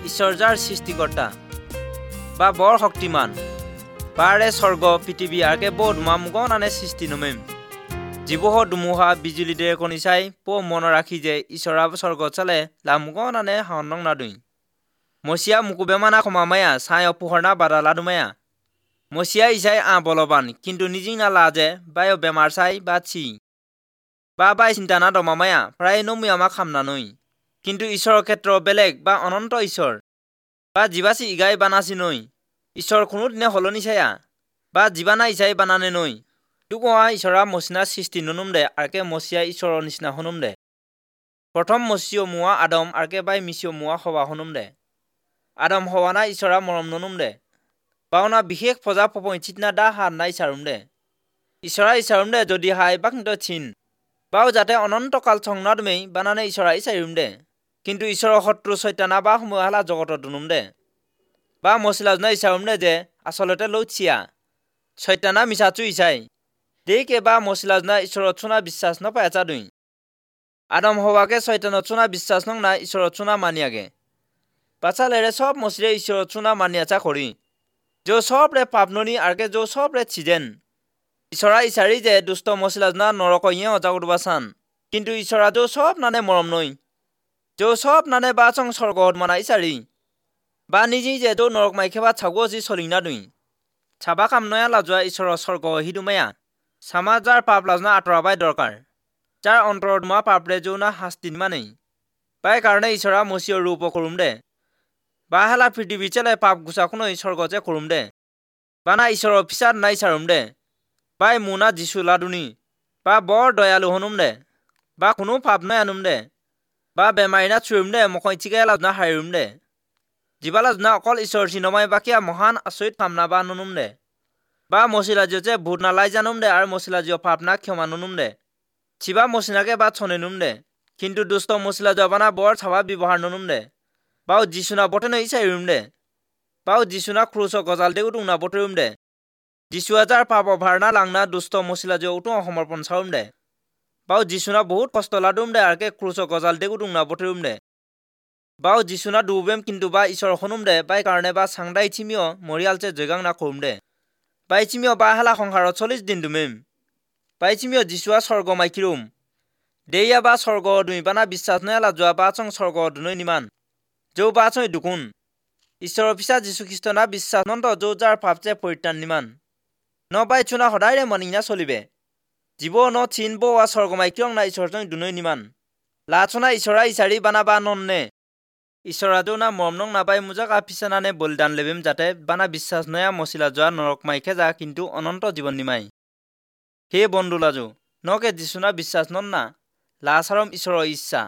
ঈশ্বৰ যাৰ সৃষ্টিকৰ্তা বা বৰ শক্তিমান বাৰে স্বৰ্গ পৃথিৱী আৰকে ব ধুমা মুগনানে সৃষ্টি নমেম জীৱহ ধুমুহা বিজুলী ডেৰেকনি চাই প মন ৰাখি যে ঈশ্বৰা স্বৰ্গ চালে লা মুগনানে হানং নাদুই মচিয়া মুকুবেমানা ক্ষমামায়া চাই অপোহৰণা বাধা লাদুমায়া মচিয়া ইচাই আ বলৱান কিন্তু নিজিনা লাজে বায় বেমাৰ চাই বা চি বা বাই চিন্তা না দমামায়া প্ৰায় নমুয়ামা খামনানৈ কিন্তু ঈশ্বৰৰ ক্ষেত্ৰ বেলেগ বা অনন্ত ঈশ্বৰ বা জীৱাচি ইগাই বানাচি নৈ ঈশ্বৰ কোনোদিনে সলনি চায়া বা জীৱানা ইচাই বানানে নৈ দুকোৱা ঈশ্বৰা মচিনা সৃষ্টি ননুম দে আৰকে মচিয়া ঈশ্বৰৰ নিচিনা শুনুম দে। প্ৰথম মচিয় মোৱা আদম আৰকে বাই মিচিয় মোৱা সৱা শুনুম দে। আদম হৱানা ঈশ্বৰা মৰম ননুম দে বাওনা বিশেষ ফজা পপঞ্চিতনা দা হাত নাই চাৰুম দে। ঈশ্বৰা ইচাৰুম দে যদি হাই বাকিন্ত চিন বাও যাতে অনন্তকাল সংনাদমেই বানানে ঈশ্বৰা ইচাৰুম দে। কিন্তু ঈশ্বৰৰ শত্ৰু চৈতানা বা সময়হালা জগতত দুনুম দে বা মচিলাজনা ইচাৰুম দে যে আচলতে লৌচিয়া চৈতানা মিছাচু ইচাই দেকে বা মচিলাজনা ঈশ্বৰত চোনা বিশ্বাস নপাই আচা দুই আদম হৱাকে চৈতানত চোনা বিশ্বাস নং না ঈশ্বৰত চোনা মানিয়াগে বাচালেৰে চব মচিৰে ঈশ্বৰত চোনা মানিয়াচা কৰি যো চবৰে পাপননি আৰকে যো চবৰে চিজেন ঈশ্বৰা ইচাৰি যে দুষ্ট মচিলাজনা নৰক ইয়ে অজাগদবা চান কিন্তু ঈশ্বৰা যো চব নানে মৰম নৈ যো চব নানে বা চং স্বৰ্গত মানা ইচাৰি বা নিজে যে যো নৰক মাইখেবা ছাগো যি চলিনা দুই চাবা কাম নয়া লাজোৱা ঈশ্বৰৰ স্বৰ্গ হিদুমায়া চামা যাৰ পাপ লাজনা আঁতৰাবাই দৰকাৰ যাৰ অন্তৰত মা পাপৰে যৌ না শাস্তি নিমানেই বাই কাৰণে ঈশ্বৰা মচিয়ৰ ৰূপ কৰোম দে বা হেলা পৃথিৱী চেলে পাপ গুচাখনৈ স্বৰ্গতে কৰোম দে বানা ঈশ্বৰৰ পিছাত নাই চাৰুম দে বাই মোনা যিচু লাদুনি বা বৰ দয়ালু হনুম দে বা কোনো পাপ নাই আনুম দে বা বেমাৰী না চুৰুম দে মখই চিকাই লাজনা হাৰিম দে জীৱা লাজনা অকল ঈশ্বৰ চিনমাই বাকীয়া মহান আচৰিত কামনা বা নুনুম দে বা মচিলাজিয় যে ভূত নালাই জানুম দে আৰু মচিলাজিয় পাপ না ক্ষমা নুনুম দে চিবা মচিনাকে বা চনে নুম দে কিন্তু দুষ্ট মচিলা জবানা বৰ চাবা ব্যৱহাৰ নুনুম দে বাও যিচুনা বটে নৈ চাইৰুম দে বাও যিচুনা ক্ৰুচ গজাল দে উদুংনা বটৰুম দে যিচুৱা যাৰ পাপ অভাৰণা লাংনা দুষ্ট মচিলা যে উটো সমৰ্পণ চাৰুম দে বাও যিচুনা বহুত কষ্ট লাদুম দে আৰকে ক্ৰুচ গজাল দে উদুংনা বটৰুম দে বাও যিচুনা ডুবেম কিন্তু বা ঈশ্বৰ শুনুম দে বাই কাৰণে বা চাংদাই চিমিও মৰিয়ালছে জয়গাং না কৰোম দে বাই চিমিও বা হালা সংসাৰত 40 দিন ডুমিম বাই চিমিও যিচুৱা স্বৰ্গ মাইকিৰুম দেয়া বা স্বৰ্গ দুই বানা বিশ্বাস নয়ালা যোৱা বা চং স্বৰ্গ দুনৈ নিমান যৌ বা চৈ দুকুন ঈশ্বৰৰ পিছা যীশুখ্ৰীষ্ট না বিশ্বাস নন্ত যৌ যাৰ পাপছে পৰিত্ৰাণ নিমান ন বাই চুনা সদায়ৰে মনিনা চলিবে জীৱ ন চিন বোৱা স্বৰ্গমাই কিয়ং না ঈশ্বৰ দুনৈ নিমান লাচনা ঈশ্বৰা ইচাৰি বানা বা নন্নে ঈশ্বৰা যৌ না মৰম নং নাপাই মোজাক আফিচানানে বলিদান লেবিম যাতে বানা বিশ্বাস নয়া মচিলা যোৱা নৰক মাইখে যা কিন্তু অনন্ত জীৱন নিমাই। হে বন্ধু লাজু নকে যিচুনা বিশ্বাস নন না লাচাৰম ঈশ্বৰৰ ইচ্ছা।